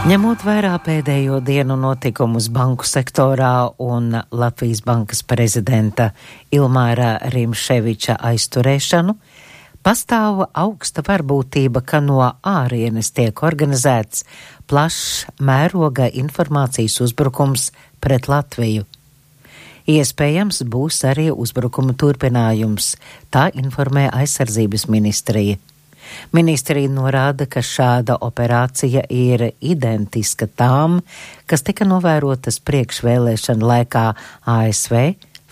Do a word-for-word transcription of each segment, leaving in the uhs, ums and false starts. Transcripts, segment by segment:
Ņemot vērā pēdējo dienu notikumus banku sektorā un Latvijas bankas prezidenta Ilmāra Rimševiča aizturēšanu, pastāv augsta varbūtība, ka no ārienes tiek organizēts plašs mēroga informācijas uzbrukums pret Latviju. Iespējams, būs arī uzbrukuma turpinājums, tā informē aizsardzības ministrija. Ministrija norāda, ka šāda operācija ir identiska tām, kas tika novērotas priekšvēlēšana laikā A S V,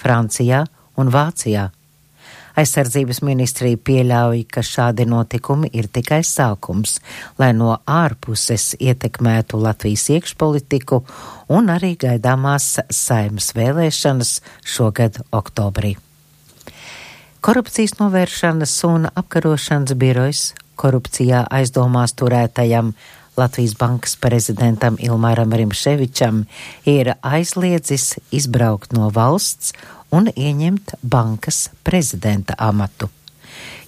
Francijā un Vācijā. Aizsardzības ministrija pieļauj, ka šādi notikumi ir tikai sākums, lai no ārpuses ietekmētu Latvijas iekšpolitiku un arī gaidāmās Saeimas vēlēšanas šogad oktobrī. Korupcijas novēršanas un apkarošanas birojs korupcijā aizdomās turētajam Latvijas bankas prezidentam Ilmāram Rimševičam ir aizliedzis izbraukt no valsts un ieņemt bankas prezidenta amatu.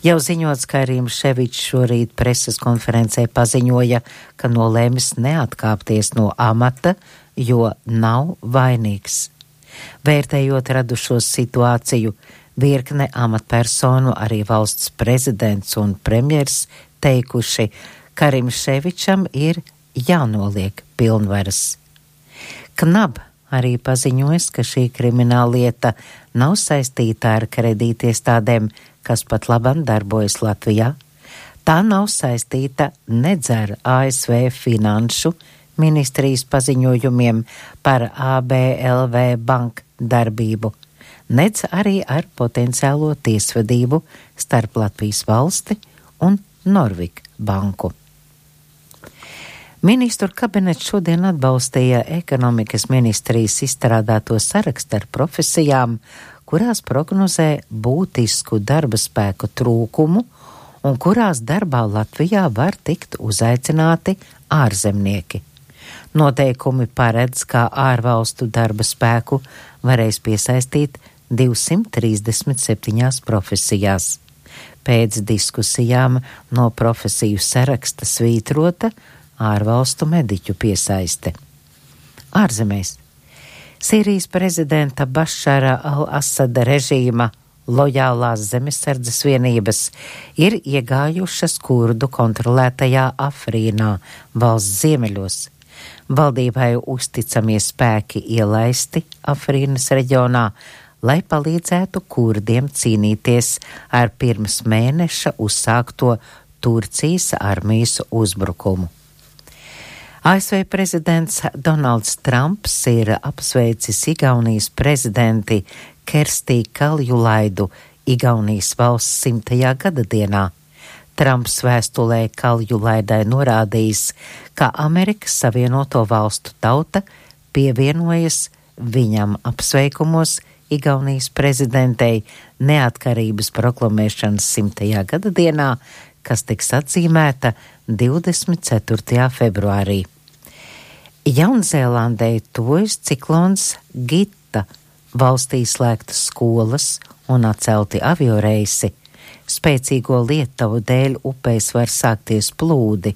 Jau ziņots, ka Rimševičs šorīt preses konferencē paziņoja, ka nolēmis neatkāpties no amata, jo nav vainīgs. Vērtējot radušos situāciju, virkne amatpersonu, arī valsts prezidents un premjers teikuši, ka Rimševičam ir jānoliek pilnvaras. Knab arī paziņojas, ka šī krimināllieta nav saistīta ar kredītiestādēm, kas pat labam darbojas Latvijā. Tā nav saistīta nedz ar A S V finanšu ministrijas paziņojumiem par A B L V banku darbību, nedz arī ar potenciālo tiesvedību starp Latvijas valsti un Norvik banku. Ministru kabinets šodien atbalstīja ekonomikas ministrijas izstrādāto sarakstu ar profesijām, kurās prognozē būtisku darba spēku trūkumu un kurās darbā Latvijā var tikt uzaicināti ārzemnieki. Noteikumi paredz, ka ārvalstu darba spēku varēs piesaistīt divsimt trīsdesmit septiņās profesijās. Pēc diskusijām no profesiju saraksta svītrota ārvalstu mediķu piesaiste. Ārzemēs. Sīrijas prezidenta Bašara al-Asada režīma lojālās zemesardzes vienības ir iegājušas kurdu kontrolētajā Afrinā, valsts ziemeļos. Valdībai uzticamie spēki ielaisti Afrinas reģionā, lai palīdzētu kurdiem cīnīties ar pirms mēneša uzsākto Turcijas armijas uzbrukumu. A S V prezidents Donalds Trumps ir apsveicis Igaunijas prezidenti Kerstī Kaljulaidu Igaunijas valsts simtajā gada dienā. Trumps vēstulē Kaljulaidai norādījis, ka Amerikas Savienoto valstu tauta pievienojas viņam apsveikumos Igaunijas prezidentei neatkarības proklamēšanas simtajā gada dienā, kas tiks atzīmēta divdesmit ceturtajā februārī. Jaunzēlandē tuvojas ciklons Gita, valstī slēgtas skolas un atcelti avioreisi. Spēcīgo lietavu dēļ upēs var sākties plūdi,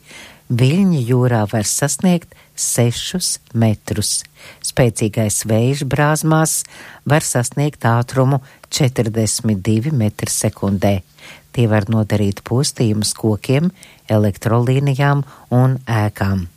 viļņi jūrā var sasniegt sešus metrus. Spēcīgais vējš brāzmās var sasniegt ātrumu četrdesmit divi metri sekundē. Tie var nodarīt postījumus kokiem, elektrolīnijām un ēkām.